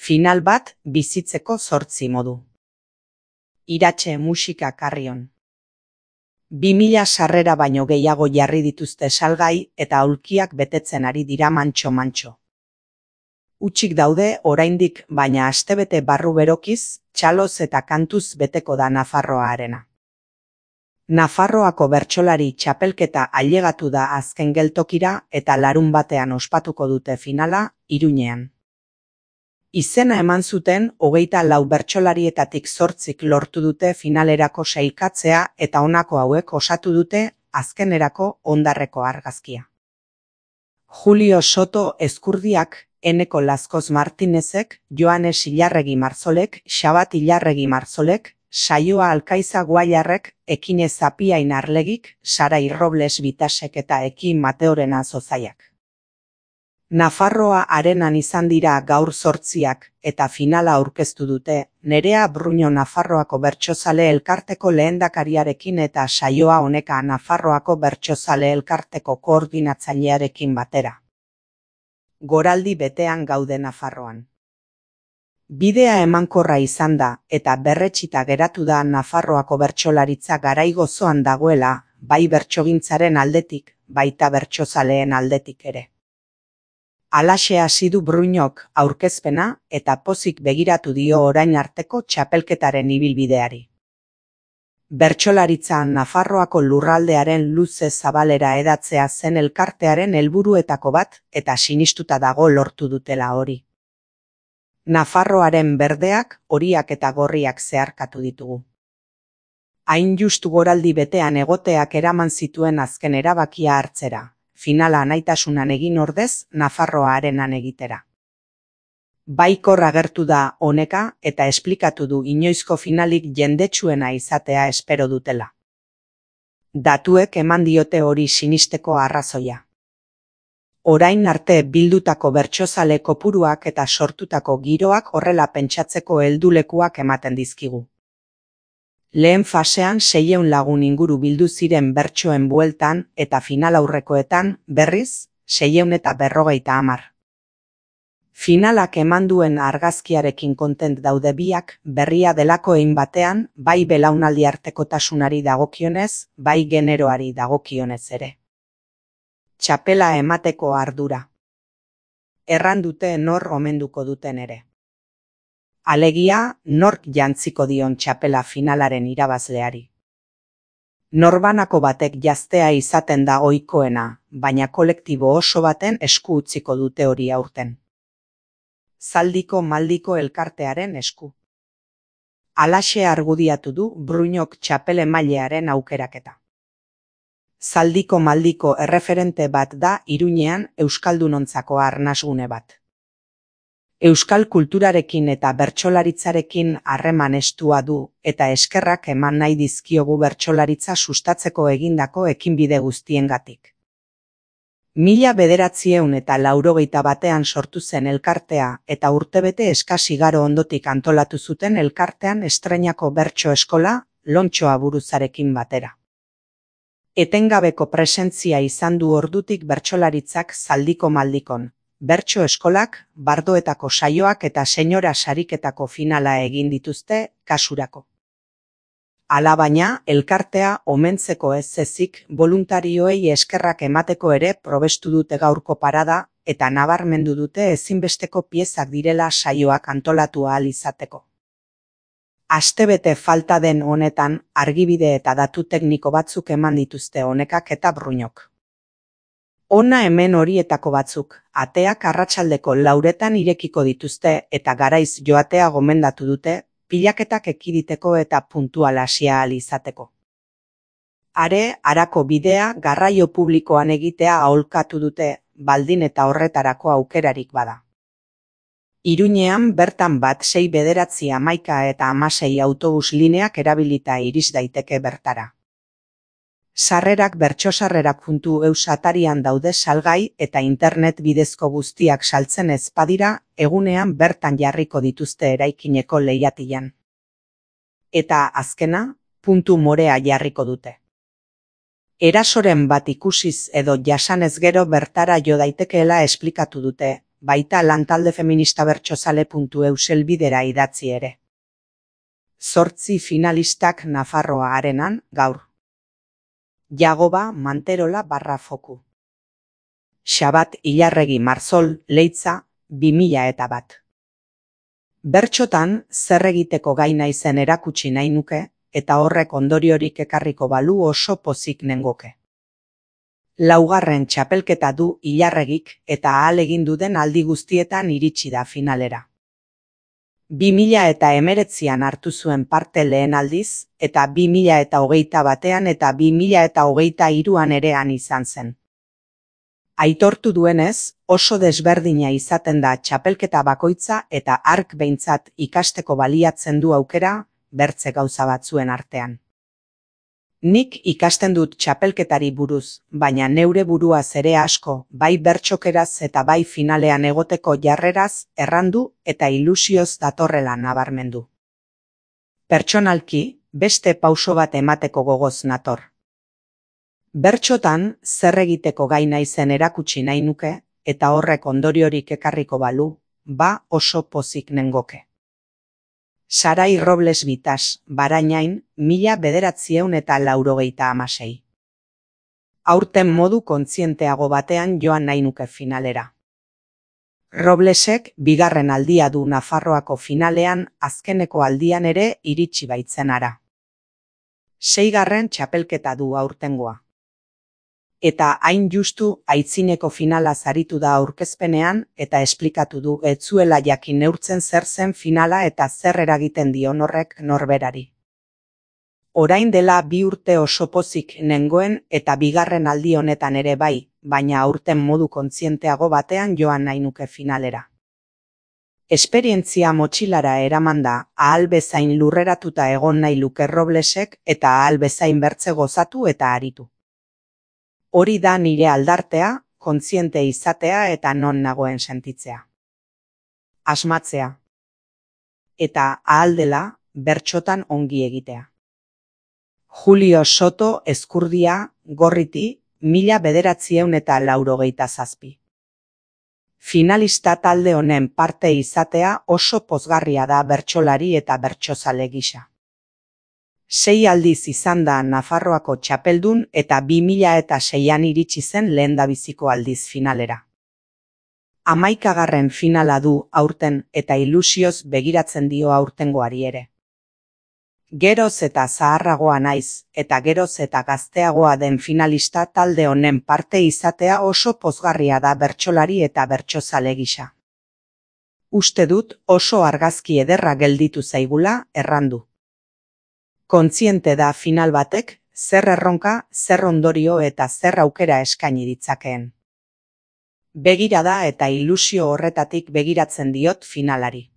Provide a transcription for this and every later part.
Final bat bizitzeko 8 modu. Iratxe musika Carrion. 2000 sarrera baino gehiago jarri dituzte salgai eta aulkiak betetzen ari dira mantxo-mantxo. Hutsik daude oraindik, baina astebete barru berokiz, txaloz eta kantuz beteko da Nafarroa arena. Nafarroako bertsolari txapelketa ailegatu da azken geltokira eta larunbatean ospatuko dute finala, Iruñean. Izena eman zuten 24 bertsolarietatik 8 lortu dute finalerako sailkatzea eta honako hauek osatu dute azkenerako hondarreko argazkia. Julio Soto Ezkurdiak, Eneko Lazkoz Martinezek, Joanes Ilarregi Marzolek, Xabat Ilarregi Marzolek, Saioa Alkaiza Guaiarrek, Ekine Zapiain Arlegik, Sarai Robles Bitasek eta Ekin Mateorena Zozaiak. Nafarroa arenan izan dira gaur 8 eta finala aurkeztu dute, Nerea Bruño Nafarroako Bertsozale Elkarteko lehendakariarekin eta saioa honeka Nafarroako Bertsozale Elkarteko koordinatzailearekin batera. Goraldi betean gaude Nafarroan. Bidea emankorra izan da eta berretsita geratu da Nafarroako bertsolaritza garai gozoan dagoela, bai bertsogintzaren aldetik, baita bertsozaleen aldetik ere. Halaxe hasi du Bruñok aurkezpena eta pozik begiratu dio orain arteko txapelketaren ibilbideari. Bertsolaritza Nafarroako lurraldearen luze zabalera hedatzea zen elkartearen helburuetako bat eta sinistuta dago lortu dutela hori. Nafarroaren berdeak, horiak eta gorriak zeharkatu ditugu. Hain justu goraldi betean egoteak eraman zituen azken erabakia hartzera. Finala anaitasunan egin ordez, Nafarroa arenan egitera. Baikor agertu da honeka eta esplikatu du inoizko finalik jendetsuena izatea espero dutela. Datuek eman diote hori sinisteko arrazoia. Orain arte bildutako bertsozale kopuruak eta sortutako giroak horrela pentsatzeko heldulekuak ematen dizkigu. Lehen fasean 600 lagun inguru bildu ziren bertsoen bueltan eta finalaurrekoetan, berriz, 650. Finalak eman duen argazkiarekin kontent daude biak, berria delako hein batean, bai belaunaldi artekotasunari dagokionez, bai generoari dagokionez ere. Txapela emateko ardura. Erran dute nor omenduko duten ere. Alegia, nork jantziko dion txapela finalaren irabazleari. Norbanako batek jaztea izaten da ohikoena, baina kolektibo oso baten esku utziko dute hori aurten. Zaldiko Maldiko elkartearen esku. Halaxe argudiatu du Bruñok txapelemailearen aukeraketa. Zaldiko Maldiko erreferente bat da Iruñean euskaldunontzako arnasgune bat. Euskal kulturarekin eta bertsolaritzarekin harreman estua du eta eskerrak eman nahi dizkiogu bertsolaritza sustatzeko egindako ekinbide guztiengatik. 1981 sortu zen elkartea eta urtebete eskas igaro ondotik antolatu zuten elkartean estreinako bertso eskola, Lontxoa buruzarekin batera. Etengabeko presentzia izan du ordutik bertsolaritzak Zaldiko Maldikon. Bertso eskolak, bardoetako saioak eta senyora sariketako finala egin dituzte kasurako. Alabaina, elkartea omentzeko ez ezik boluntarioei eskerrak emateko ere probestu dute gaurko parada eta nabarmendu dute ezinbesteko piezak direla saioak antolatu ahal izateko. Astebete falta den honetan, argibide eta datu tekniko batzuk eman dituzte honekak eta Bruñok. Hona hemen horietako batzuk, ateak arratsaldeko 4 irekiko dituzte eta garaiz joatea gomendatu dute, pilaketak ekiditeko eta puntual hasia ahal izateko. Harako bidea garraio publikoan egitea aholkatu dute, baldin eta horretarako aukerarik bada. Iruñean bertan bat 6, 9, 11 eta 16 autobus lineak erabilita iris daiteke bertara. Sarrerak bertsosarrerak.eus atarian daude salgai eta internet bidezko guztiak saltzen ez badira, egunean bertan jarriko dituzte eraikineko lehiatilan. Eta azkena, puntu morea jarriko dute. Erasoren bat ikusiz edo jasanez gero bertara jo daitekeela esplikatu dute, baita lantalde feminista bertsozale.eu selbidera idatzi ere. 8 finalistak Nafarroa Arenan gaur. Jagoba Manterola /Foku. Xabat Ilarregi Marzol Leitza 2001. Bertxotan zer egiteko gai naizen erakutsi nahi nuke, eta horrek ondoriorik ekarriko balu oso pozik nengoke. Laugarren txapelketa du Ilarregik eta ahalegin duden aldi guztietan iritsi da finalera. 2019an hartu zuen parte lehen aldiz, eta 2021an eta 2023an erean izan zen. Aitortu duenez, oso desberdina izaten da txapelketa bakoitza eta hark behintzat ikasteko baliatzen du aukera bertze gauza batzuen artean. Nik ikasten dut txapelketari buruz, baina neure buruaz ere asko, bai bertsokeraz eta bai finalean egoteko jarreraz errandu eta ilusioz datorrela nabarmendu. Pertsonalki, beste pauso bat emateko gogoz nator. Bertxotan zer egiteko gai naizen erakutsi nahi nuke, eta horrek ondoriorik ekarriko balu, oso pozik nengoke. Sarai Robles Bitas, Barainain, 1996. Aurten modu kontzienteago batean joan nahi nuke finalera. Roblesek bigarren aldia du Nafarroako finalean azkeneko aldian ere iritsi baitzen ara. 6. txapelketa du aurtengoa. Eta hain justu aitzineko finala zaritu da aurkezpenean eta esplikatu du ez zuela jakin neurtzen zer zen finala eta zer eragiten dion horrek norberari. Orain dela 2 urte oso pozik nengoen eta bigarren aldi honetan ere bai, baina aurten modu kontzienteago batean joan nahi nuke finalera. Esperientzia motxilara eramanda ahal bezain lurreratuta egon nahi luke Roblesek eta ahal bezain bertze gozatu eta aritu. Hori da nire aldartea, kontziente izatea eta non nagoen sentitzea. Asmatzea. Eta ahal dela, bertxotan ongi egitea. Julio Soto Ezkurdia, Gorriti, 1997. Finalista talde honen parte izatea oso pozgarria da bertsolari eta bertsozale gisa. 6 aldiz izan da Nafarroako txapeldun eta 2006an iritsi zen lehendabiziko aldiz finalera. 11. finala du aurten eta ilusioz begiratzen dio aurtengoari ere. Geroz eta zaharragoa naiz eta geroz eta gazteagoa den finalista talde honen parte izatea oso pozgarria da bertsolari eta bertsozale gisa. Uste dut oso argazki ederra gelditu zaigula errandu. Kontziente da final batek, zer erronka, zer ondorio eta zer aukera eskaini ditzakeen. Begirada eta ilusio horretatik begiratzen diot finalari.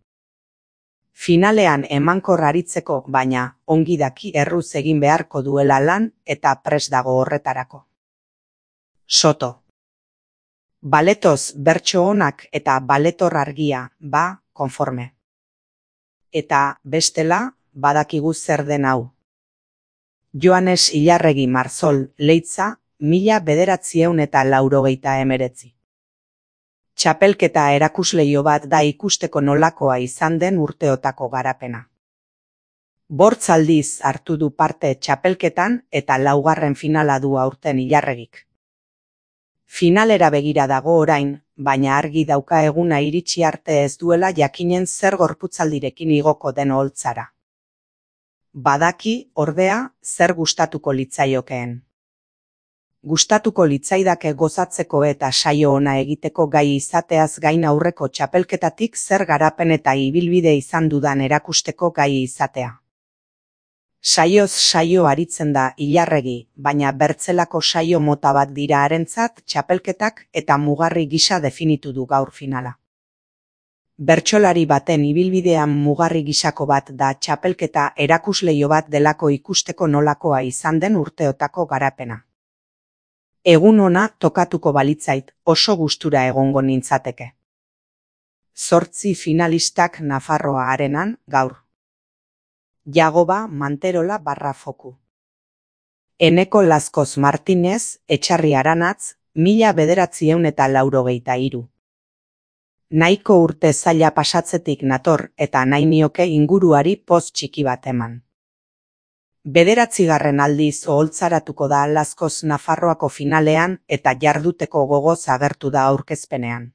Finalean emankor aritzeko, baina ongi daki erruz egin beharko duela lan eta prest dago horretarako. Soto. Baletoz bertso onak eta baletor argia, konforme. Eta bestela, badakigu zer den hau. Joanes Ilarregi Marzol Leitza 1999. Txapelketa erakusleio bat da ikusteko nolakoa izan den urteotako garapena. Bortz aldiz hartu du parte txapelketan eta 4. finala du aurten Ilarregik. Finalera begira dago orain, baina argi dauka eguna iritsi arte ez duela jakinen zer gorputzaldirekin igoko den oholtzara. Badaki, ordea, zer gustatuko litzaiokeen. Gustatuko litzaidake gozatzeko eta saio ona egiteko gai izateaz gain aurreko txapelketatik zer garapen eta ibilbide izan dudan erakusteko gai izatea. Saioz saio aritzen da Ilarregi, baina bertzelako saio mota bat dira harentzat txapelketak eta mugarri gisa definitu du gaur finala. Bertsolari baten ibilbidean mugarri gisako bat da txapelketa erakusleio bat delako ikusteko nolakoa izan den urteotako garapena. Egun ona tokatuko balitzait oso gustura egongo nintzateke. 8 finalistak Nafarroa Arenan gaur. Jagoba Manterola /Foku. Eneko Lazkoz Martinez Etxarri Aranatz 1993. Nahiko urte zaila pasatzetik nator eta nahi nioke inguruari poz txiki bat eman. 9. aldiz oholtzaratuko da Laskoz Nafarroako finalean eta jarduteko gogoz agertu da aurkezpenean.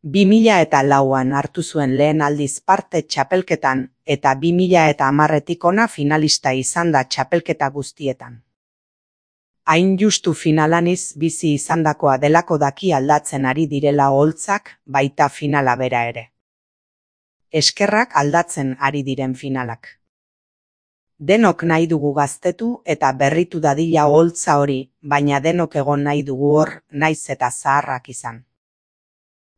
2004an hartu zuen lehen aldiz parte txapelketan eta 2010etik hona finalista izan da txapelketa guztietan. Hain justu finalaniz bizi izandakoa delako daki aldatzen ari direla oholtzak, baita finala bera ere. Eskerrak aldatzen ari diren finalak. Denok nahi dugu gaztetu eta berritu dadila oholtza hori, baina denok egon nahi dugu hor, naiz eta zaharrak izan.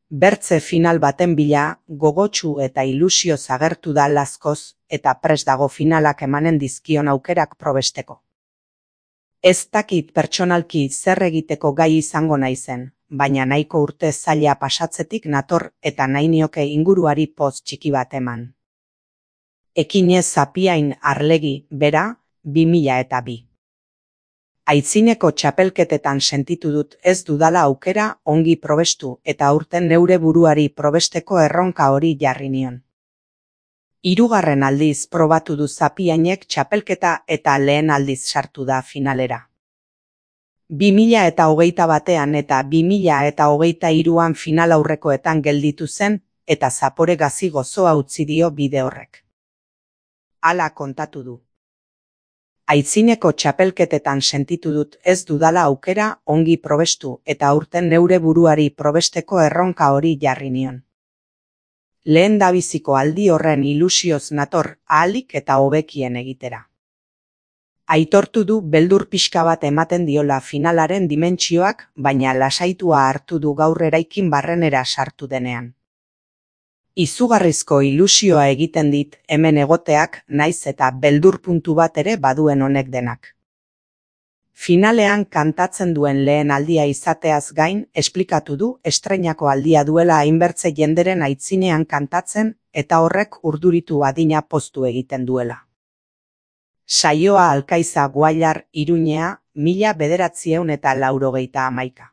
Bertze final baten bila, gogotsu eta ilusioz agertu da Laskoz eta prest dago finalak emanen dizkion aukerak probesteko. Ez dakit pertsonalki zer egiteko gai izango naizen, baina nahiko urte zaila pasatzetik nator eta nahi nioke inguruari poz txiki bat eman. Ekinez Zapiain Arlegi, bera, 2002. Aitzineko txapelketetan sentitu dut ez dudala aukera ongi probestu eta aurten neure buruari probesteko erronka hori jarri nion. 3. aldiz probatu du Zapiainek txapelketa eta lehen aldiz sartu da finalera. 2021an eta 2023an final aurrekoetan gelditu zen eta zapore gazi gozoa utzi dio bide horrek. Hala kontatu du. Aitzineko txapelketetan sentitu dut ez dudala aukera ongi probestu eta aurten neure buruari probesteko erronka hori jarri nion. Lehen dabiziko aldi horren ilusioz nator ahalik eta hobekien egitera. Aitortu du beldur pixka bat ematen diola finalaren dimentsioak, baina lasaitua hartu du gaur eraikin barrenera sartu denean. Izugarrizko ilusioa egiten dit hemen egoteak naiz eta beldur puntu bat ere baduen honek denak. Finalean kantatzen duen lehen aldia izateaz gain, esplikatu du estreinako aldia duela hainbertze jenderen aitzinean kantatzen eta horrek urduritu adina poztu egiten duela. Saioa Alkaiza Guallar, Iruñea, 1991.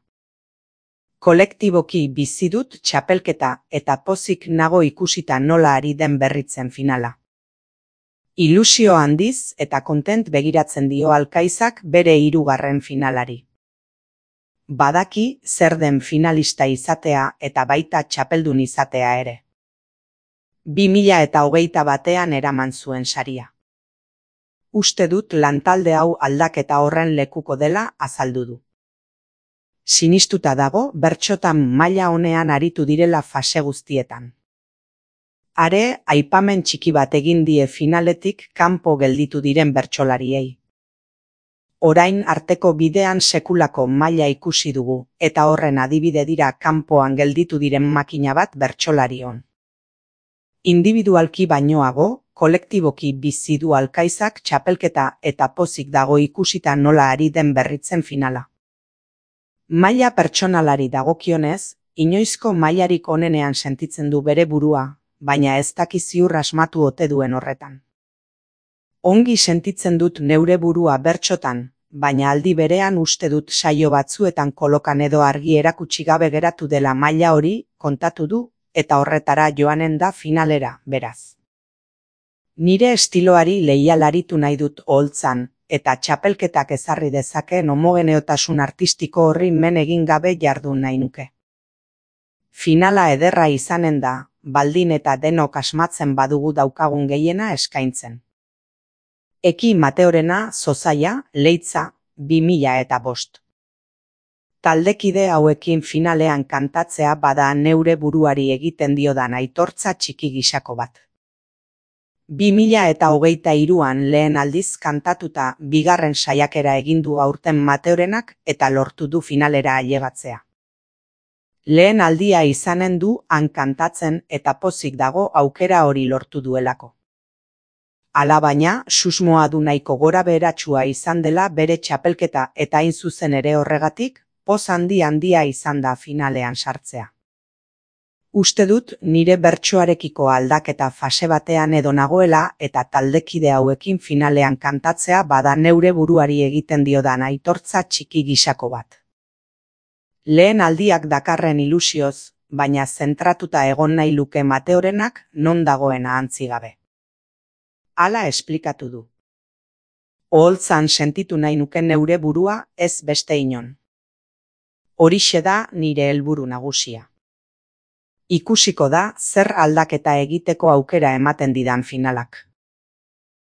Kolektiboki bizi dut txapelketa eta pozik nago ikusita nola ari den berritzen finala. Ilusio handiz eta kontent begiratzen dio Alkaizak bere 3. finalari. Badaki zer den finalista izatea eta baita txapeldun izatea ere. 2021an eraman zuen saria. Uste dut lantalde hau aldaketa horren lekuko dela azaldu du. Sinistuta dago bertsotan maila honean aritu direla fase guztietan. Are, aipamen txiki bat egin die finaletik kanpo gelditu diren bertsolariei. Orain arteko bidean sekulako maila ikusi dugu, eta horren adibide dira kanpoan gelditu diren makina bat bertsolarion. Individualki bainoago, kolektiboki bizi du Alkaizak txapelketa eta pozik dago ikusita nola ari den berritzen finala. Maila pertsonalari dagokionez, inoizko mailarik onenean sentitzen du bere burua, baina ez daki ziur asmatu ote duen horretan. Ongi sentitzen dut neure burua bertsotan, baina aldi berean uste dut saio batzuetan kolokan edo argi erakutsi gabe geratu dela maila hori, kontatu du, eta horretara joanen da finalera, beraz. Nire estiloari leialaritu nahi dut oholtzan, eta txapelketak ezarri dezakeen homogeneotasun artistiko horri men egin gabe jardun nahi nuke. Finala ederra izanen da, baldin eta denok asmatzen badugu daukagun gehiena eskaintzen. Eki Mateorena, Zozaia, Leitza, 2005. Taldekide hauekin finalean kantatzea bada neure buruari egiten diodan aitortza txiki gisako bat. 2023an lehen aldiz kantatuta 2. saiakera egin du aurten Mateorenak eta lortu du finalera ailegatzea. Lehen aldia izanen du han kantatzen eta pozik dago aukera hori lortu duelako. Alabaina, susmoa du nahiko gora beheratsua izan dela bere txapelketa eta hain zuzen ere horregatik, poz handia izan da finalean sartzea. Uste dut nire bertsoarekiko aldaketa fase batean edo nagoela eta taldekide hauekin finalean kantatzea bada neure buruari egiten diodan aitortza txiki gisako bat. Lehen aldiak dakarren ilusioz, baina zentratuta egon nahi luke Mateorenak non dagoen ahantzi gabe. Hala esplikatu du. Oholtzan sentitu nahi nuke neure burua ez beste inon. Horixe da nire helburu nagusia. Ikusiko da zer aldaketa egiteko aukera ematen didan finalak.